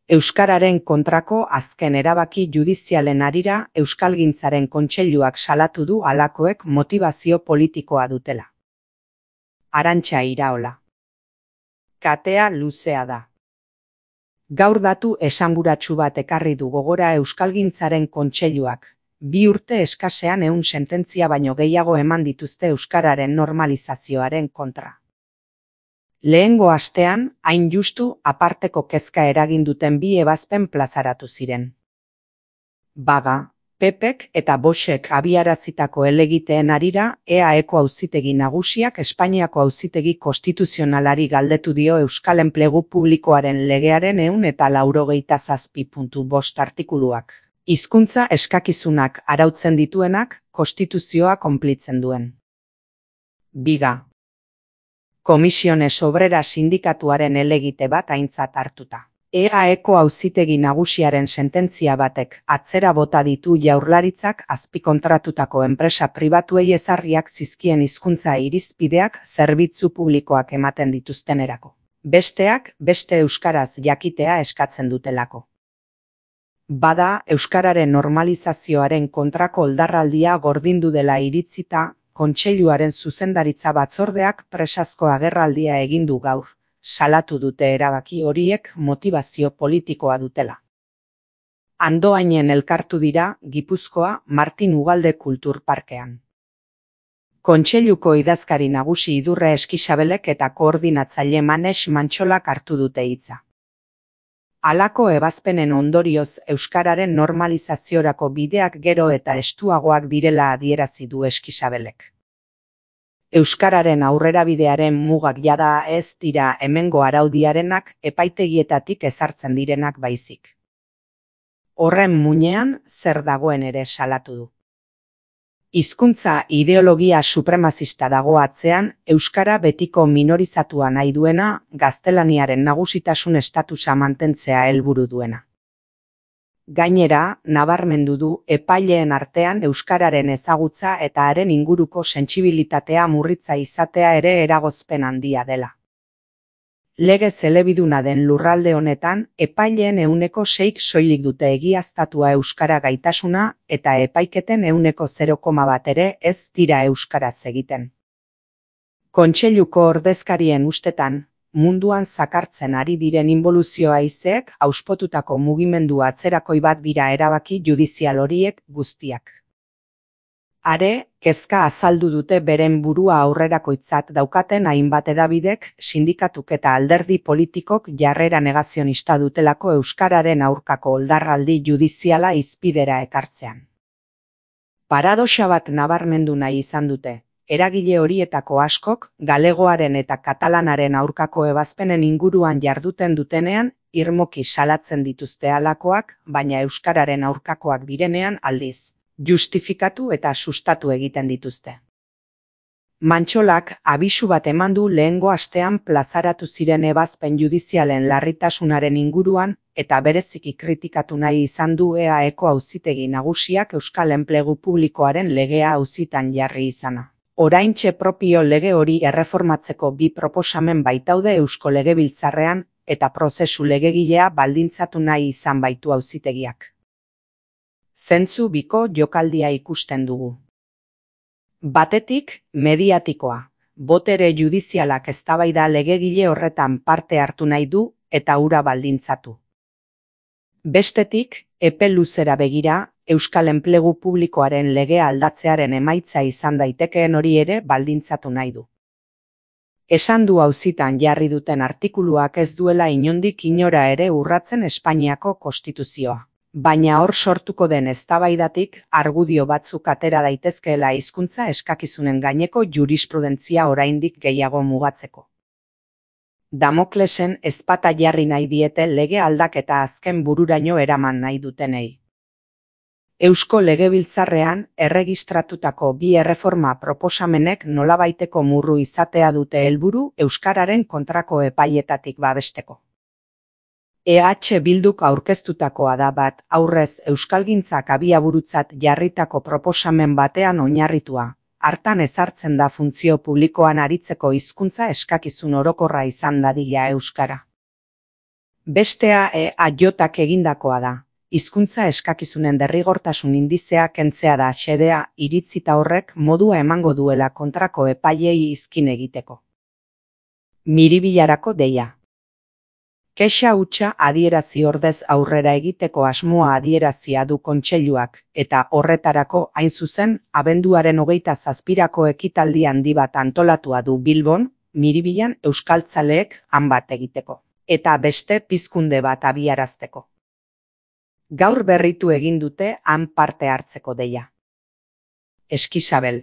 Euskararen kontrako azken erabaki judizialen harira Euskalgintzaren Kontseiluak salatu du halakoek motibazio politikoa dutela. Arantxa Iraola. Katea luzea da. Gaur datu esanguratsu bat ekarri du gogora Euskalgintzaren Kontseiluak. 2 urte eskasean 100 sententzia baino gehiago eman dituzte euskararen normalizazioaren kontra. Lehengo astean, hain justu, aparteko kezka eragin duten 2 ebazpen plazaratu ziren. Baga, PPek eta Voxek abiarazitako helegiteen harira, EAeko Auzitegi Nagusiak Espainiako Auzitegi Konstituzionalari galdetu dio Euskal Enplegu Publikoaren Legearen 197.5 artikuluak. Hizkuntza eskakizunak arautzen dituenak, konstituzioa konplitzen duen. Biga. Komisiones Obrera sindikatuaren helegite bat aintzat hartuta. EAeko Auzitegi Nagusiaren sententzia batek atzera bota ditu Jaurlaritzak azpikontratutako enpresa pribatuei ezarriak zizkien hizkuntza irizpideak zerbitzu publikoak ematen dituztenerako. Besteak beste euskaraz jakitea eskatzen dutelako. Bada, euskararen normalizazioaren kontrako oldarraldia gordindu dela iritzita, Kontseiluaren zuzendaritza batzordeak presazko agerraldia egin du gaur, salatu dute erabaki horiek motibazio politikoa dutela. Andoainen elkartu dira, Gipuzkoa, Martin Ugalde Kulturparkean. Kontseiluko idazkari nagusi Idurre Eskixabelek eta koordinatzaile Manex Mantxolak hartu dute hitza. Halako ebazpenen ondorioz euskararen normalizaziorako bideak gero eta estuagoak direla adierazi du Eskixabelek. Euskararen aurrerabidearen mugak jada ez dira hemengo araudiarenak epaitegietatik ezartzen direnak baizik. Horren muinean zer dagoen ere salatu du. Hizkuntza ideologia supremazista dago atzean, euskara betiko minorizatua nahi duena, gaztelaniaren nagusitasun estatusa mantentzea helburu duena. Gainera, nabarmendu du epaileen artean euskararen ezagutza eta haren inguruko sentsibilitatea murritza izatea ere eragozpen handia dela. Legez elebiduna den lurralde honetan, epaileen 6% soilik dute egiaztatua euskara gaitasuna eta epaiketen 0,1 ere ez dira euskaraz egiten. Kontseiluko ordezkarien ustetan, munduan zakartzen ari diren inboluzio haizeek auspotutako mugimendu atzerakoi bat dira erabaki judizial horiek guztiak. Are, kezka azaldu dute beren burua aurrerakoitzat daukaten hainbat hedabidek, sindikatuk eta alderdi politikok jarrera negazionista dutelako euskararen aurkako oldarraldi judiziala hizpidera ekartzean. Paradoxa bat nabarmendu nahi izan dute. Eragile horietako askok, galegoaren eta katalanaren aurkako ebazpenen inguruan jarduten dutenean, irmoki salatzen dituzte halakoak, baina euskararen aurkakoak direnean aldiz. Justifikatu eta sustatu egiten dituzte. Mantxolak abisu bat eman du lehengo astean plazaratu ziren ebazpen judizialen larritasunaren inguruan eta bereziki kritikatu nahi izan du EAeko Auzitegi Nagusiak Euskal Enplegu Publikoaren legea auzitan jarri izana. Oraintxe propio lege hori erreformatzeko 2 proposamen baitaude Eusko Legebiltzarrean eta prozesu legegilea baldintzatu nahi izan baitu auzitegiak. Zentzu biko jokaldia ikusten dugu. Batetik, mediatikoa. Botere judizialak eztabaida legegile horretan parte hartu nahi du eta hura baldintzatu. Bestetik, epe luzera begira, Euskal Enplegu Publikoaren legea aldatzearen emaitza izan daitekeen hori ere baldintzatu nahi du. Esan du auzitan jarri duten artikuluak ez duela inondik inora ere urratzen Espainiako konstituzioa. Baina hor sortuko den eztabaidatik argudio batzuk atera daitezkeela hizkuntza eskakizunen gaineko jurisprudentzia oraindik gehiago mugatzeko. Damoklesen ezpata jarri nahi diete lege aldaketa azken bururaino eraman nahi dutenei. Eusko Legebiltzarrean erregistratutako 2 erreforma proposamenek nolabaiteko murru izatea dute helburu euskararen kontrako epaietatik babesteko. EH Bilduk aurkeztutakoa da bat aurrez euskalgintzak abiaburutzat jarritako proposamen batean oinarritua. Hartan ezartzen da funtzio publikoan aritzeko hizkuntza eskakizun orokorra izan dadila euskara. Bestea aiotak egindakoa da. Hizkuntza eskakizunen derrigortasun indizea kentzea da xedea iritzita horrek modua emango duela kontrako epaileei izkin egiteko. Miribilarako deia. Kexa hutsa adierazi ordez aurrera egiteko asmoa adierazia du kontseiluak, eta horretarako hain zuzen, abenduaren 27ko ekitaldi handi bat antolatua du Bilbon, Miribilan euskaltzaleek han bat egiteko, eta beste pizkunde bat abiarazteko. Gaur berritu egin dute han parte hartzeko deia. Eskisabel.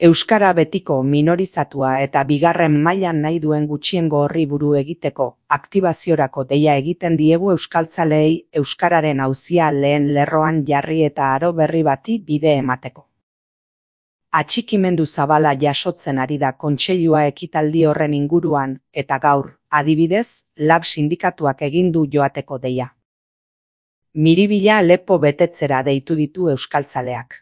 Euskara betiko minorizatua eta bigarren mailan nahi duen gutxiengo horri buru egiteko aktibaziorako deia egiten diegu euskaltzaleei euskararen auzia lehen lerroan jarri eta aro berri bati bide emateko. Atxikimendu zabala jasotzen ari da kontseilua ekitaldi horren inguruan eta gaur, adibidez, lab sindikatuak egin du joateko deia. Miribila lepo betetzera deitu ditu euskaltzaleak.